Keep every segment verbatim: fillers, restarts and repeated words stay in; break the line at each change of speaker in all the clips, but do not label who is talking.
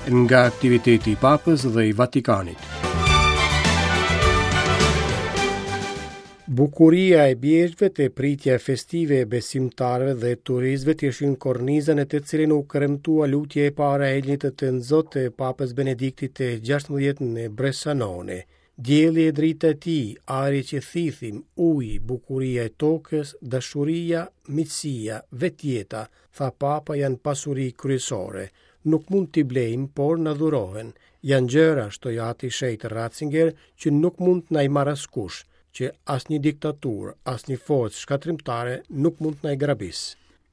Nga aktiviteti i Papës dhe i Vatikanit. Bukuria e bjeshkëve te pritja festive e besimtarëve dhe turistëve ishin korniza në të cilën u kremtua lutja e parë e Engjëllit të Tënzot të Papës Benediktit të gjashtëmbëdhjetë në Bressanone. Dielli e drita e tij, ajri që thithim, uji, bukuria e tokës, dashuria, miqësia, vetjeta, tha Papa, janë pasuri kryesore. Nuk mund t'i blejmë, por na dhurohen. Janë gjëra, shtoi ati shenjt Ratzinger, që nuk mund të na i marrë askush, që asnjë diktaturë, asnjë forcë shkatërrimtare nuk mund të na i grabis.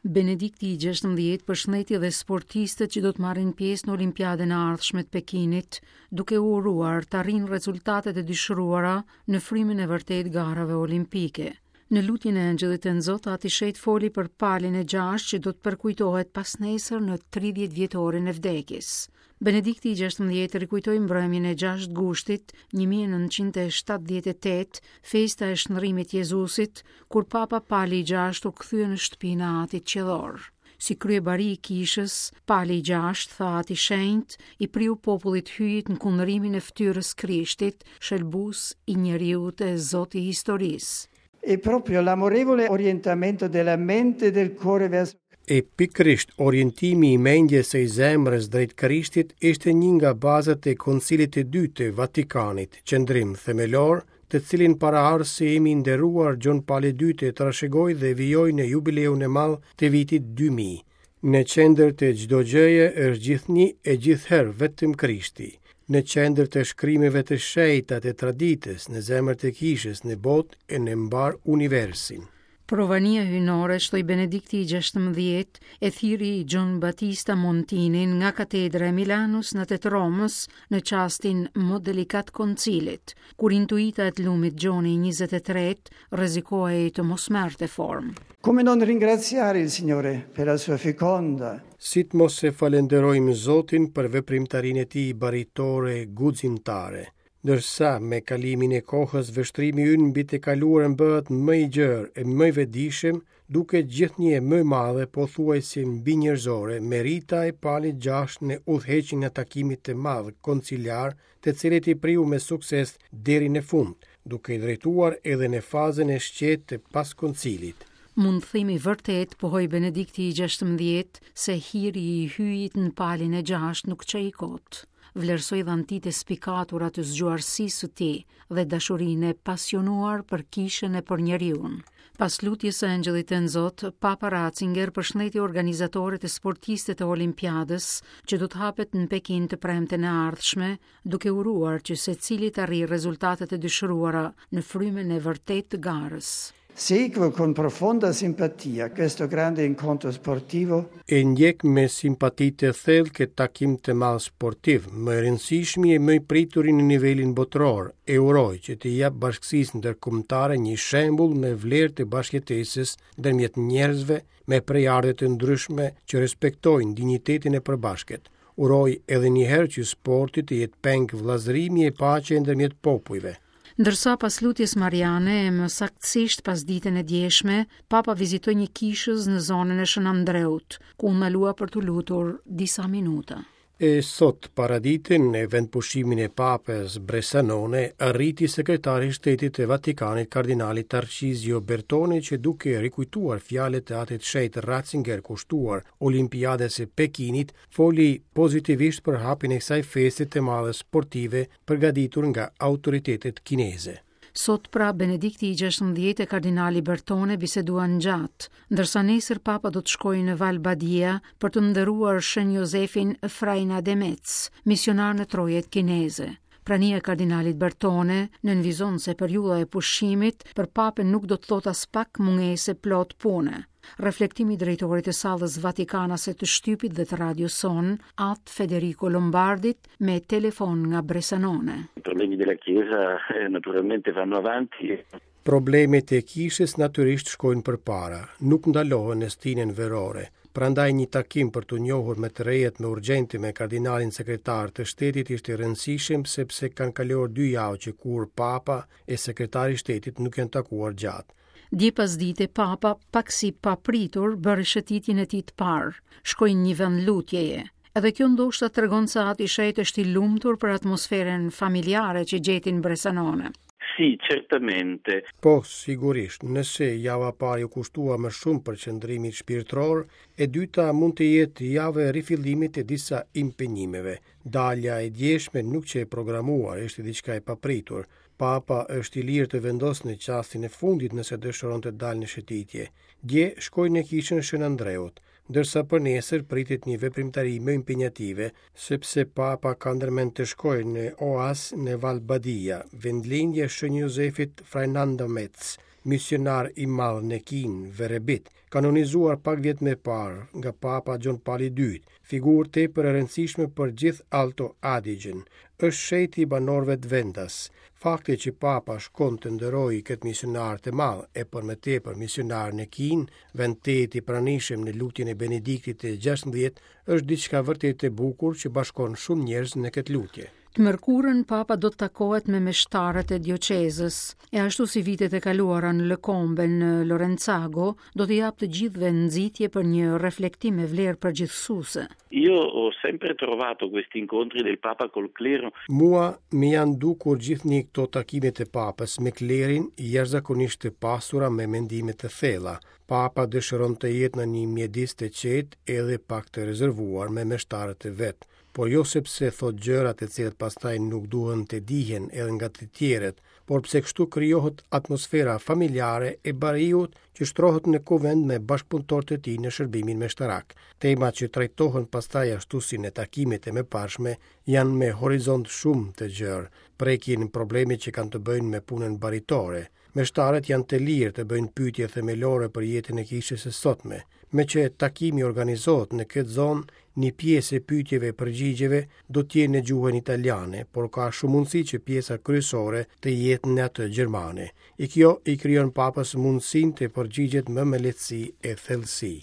Benedikti i gjashtëmbëdhjetë përshëndeti dhe sportistët që do të marrin pjesë në Olimpiadën e ardhshme të Pekinit, duke u uruar të arrijnë rezultatet e dëshiruara në frymën e vërtetë garave olimpike. Në lutjen e Engjëllit të Nxot, ati shenjt foli për palin e gjashtë që do të përkujtohet pas nesër në tridhjetë vjetorin e vdekjes. Benedikti i gjashtëmbëdhjetë rikujtoi mbrëmjen e gjashtë gushtit një mijë e nëntëqind e shtatëdhjetë e tetë, festa e shndrimit Jezusit, kur Papa Pali i gjashtë u kthye në shtëpinë e Atit Qiellor. Si kryebari i kishës, Pali i gjashtë, tha Ati Shenjt, i priu popullit hyjit në kundrimin e fytyrës Krishtit, shëlbues i njeriut e Zoti i historisë.
E proprio l'amorevole orientamento della mente e del cuore verso
E pikërisht orientimi i mendjes e i zemrës drejt Krishtit ishte një nga bazat e Koncilit të Dytë të Vatikanit, qëndrim themelor, të cilin paraardhësi im i nderuar Gjon Pali i Dytë e trashëgoi dhe vijoi në jubileun e madh të vitit dy mijë. Në qendër të çdo gjëje është gjithnjë e gjithherë vetëm Krishti. Në qendër të shkrimeve të shenjta të traditës, në zemër të kishës, në botë e në mbar universin.
Provania hyjnore, shtoi Benedikti i gjashtëmbëdhjetë, e thirri Gjon Battista Montinin nga katedra e Milanos në të Romës në çastin më delikat koncilit, kur intuita e të lumit Gjoni njëzet e tretë rrezikohej të mos merrte formë.
Come non ringraziare il Signore per la sua feconda?
Si të mos e falenderojmë Zotin për veprimtarinë e tij baritore guximtare. Ndërsa me kalimin e kohës vështrimi ynë mbi të kaluarën bëhet më i gjerë e më i vetëdijshëm, duke gjithnjë e më e madhe pothuajse mbi njerëzore merita e Palit gjashtë në udhëheqjen e takimit të madh konciliar, të cilit i priu me sukses deri në fund, duke i drejtuar edhe në fazën e shqetë të pas koncilit.
Mund themi vërtet, pohoi Benedikti i gjashtëmbëdhjetë, se hiri i hyjit në palin e gjashtë nuk qe i kot. Vlerësoi dhantit e spikatura të zgjuarsisë së tij dhe dashurinë e pasionuar për kishën e për njeriun. Pas lutjes së Engjëllit të Nxot, Papa Ratzinger përshëndeti organizatorët e sportistët e Olimpiadës që do të hapet në Pekin të premten e ardhshme, duke uruar që secili të arrijë rezultatet e dëshiruara në frymën e vërtetë të garës.
Seguo con profonda simpatia questo grande incontro sportivo.
E ndjek me simpati të thellë këtë takim të madh sportiv, më i rëndësishmi e më i prituri në nivelin botëror. E uroj që të jap bashkësisë ndërkombëtare një shembull me vlerë të bashkëjetesës ndërmjet njerëzve me prejardhje të ndryshme që respektojnë dinjitetin e përbashkët. Uroj edhe një herë që sporti të jetë peng vëllazërimi e paqe ndërmjet popujve.
Ndërsa pas lutjes Mariane, e më saktësisht pas ditën e djeshme, Papa vizitoi një kishëz në zonën e Shën Andreut, ku u ndalua për t'u lutur disa minuta.
E sot paradite në vendpushimin e Papës Bressanone arriti sekretari i Shtetit të Vatikanit kardinali Tarcizio Bertone që duke rikujtuar fjalët e atit shenjt Ratzinger kushtuar Olimpiadës së Pekinit, foli pozitivisht për hapjen e kësaj feste të madhe sportive përgatitur nga autoritetet kineze.
Sot pra Benedikti i gjashtëmbëdhjetë e kardinali Bertone biseduan gjatë, ndërsa nesër Papa do të shkojë në Val Badia për të nderuar Shën Josefin Freinademetz, misionar në trojet kineze. Prania e kardinalit Bertone nënvizon se periudha e pushimit për Papën nuk do të thotë as pak mungesë plot pune. Reflektimi i drejtorit të sallës Vatikanase të shtypit dhe të radios son, At Federico Lombardit, me telefon nga Bressanone.
I problemi della Chiesa, eh, naturalmente vanno avanti.
Problemet e kishës natyrisht shkojnë përpara, nuk ndalohen në stinën verore. Prandaj një takim për t'u njohur me të rejet më urgjente me kardinalin sekretar të shtetit ishte i rëndësishëm sepse kanë kaluar dy javë që kur Papa e sekretari i shtetit nuk janë takuar gjatë.
Dje pas dite, Papa, pak si papritur, bëri shëtitjen e tij të parë. Shkoi në një vend lutjeje. Edhe kjo ndoshta tregon se Ati i Shenjtë është i lumtur për atmosferën familjare që gjeti në Bressanone.
Sì, certamente.
Po, sigurisht, nëse java e parë ju kushtua më shumë përqendrimit shpirtëror, e dyta mund të jetë javë e rifillimit të disa impenjimeve. Dalja e djeshme nuk qe e programuar, ishte diçka e papritur. Papa është i lirë të vendosë në çastin e fundit nëse dëshiron të dalë në shëtitje. Dje shkoi në kishën Shën Andreut, ndërsa për nesër pritet një veprimtari më impenjative, sepse Papa ka ndërmend të shkojë në Oas në Val Badia, vendlindje e Shën Josefit Freinademetz, misionar i madh në Kinë, Verebit, kanonizuar pak vjet më parë nga Papa Gjon Pali i Dytë, figurë tepër e rëndësishme për gjithë Alto Adigen. Është shenjti i banorëve të vendas. Fakti që Papa shkon të nderojë këtë misionar të madh e për më tepër misionar në Kinë, vend tejet i pranishëm në lutjen e Benediktit të gjashtëmbëdhjetë, është diçka vërtet e bukur që bashkon shumë njerëz në këtë lutje.
Të mërkurën Papa do të takohet me meshtarët e dioqezës, e ashtu si vitet e kaluara në Lëkombe në Lorenzago, do të japë të gjithëve nxitje për një reflektim me vlerë përgjithësuese.
Io ho sempre trovato questi incontri del Papa col clero.
Mua më janë dukur gjithnjë këto takimet e Papës me klerin jashtëzakonisht të pasura me mendime të thella. Papa dëshiron të jetë në një mjedis të qetë edhe pak të rezervuar me meshtarët e vet, por jo sepse thot gjërat e cilat pastaj nuk duhen të dihen edhe nga të tjerët, por pse kështu krijohet atmosfera familjare e bariut që shtrohet në kuvend me bashkëpunëtorët e tij në shërbimin meshtarak. Temat që trajtohen pastaj ashtu si në takimet e mëparshme janë me horizont shumë të gjerë, prekin probleme që kanë të bëjnë me punën baritore. Meshtarët janë të lirë të bëjnë pyetje themelore për jetën e kishës së sotme. Me që takimi organizohet në këtë zonë, një pjesë e pyetjeve e përgjigjeve do të jenë në gjuhën italiane, por ka shumë mundësi që pjesa kryesore të jetë në atë gjermane. E kjo i krijon Papës mundësinë të përgjigjet më me lehtësi e thellësi.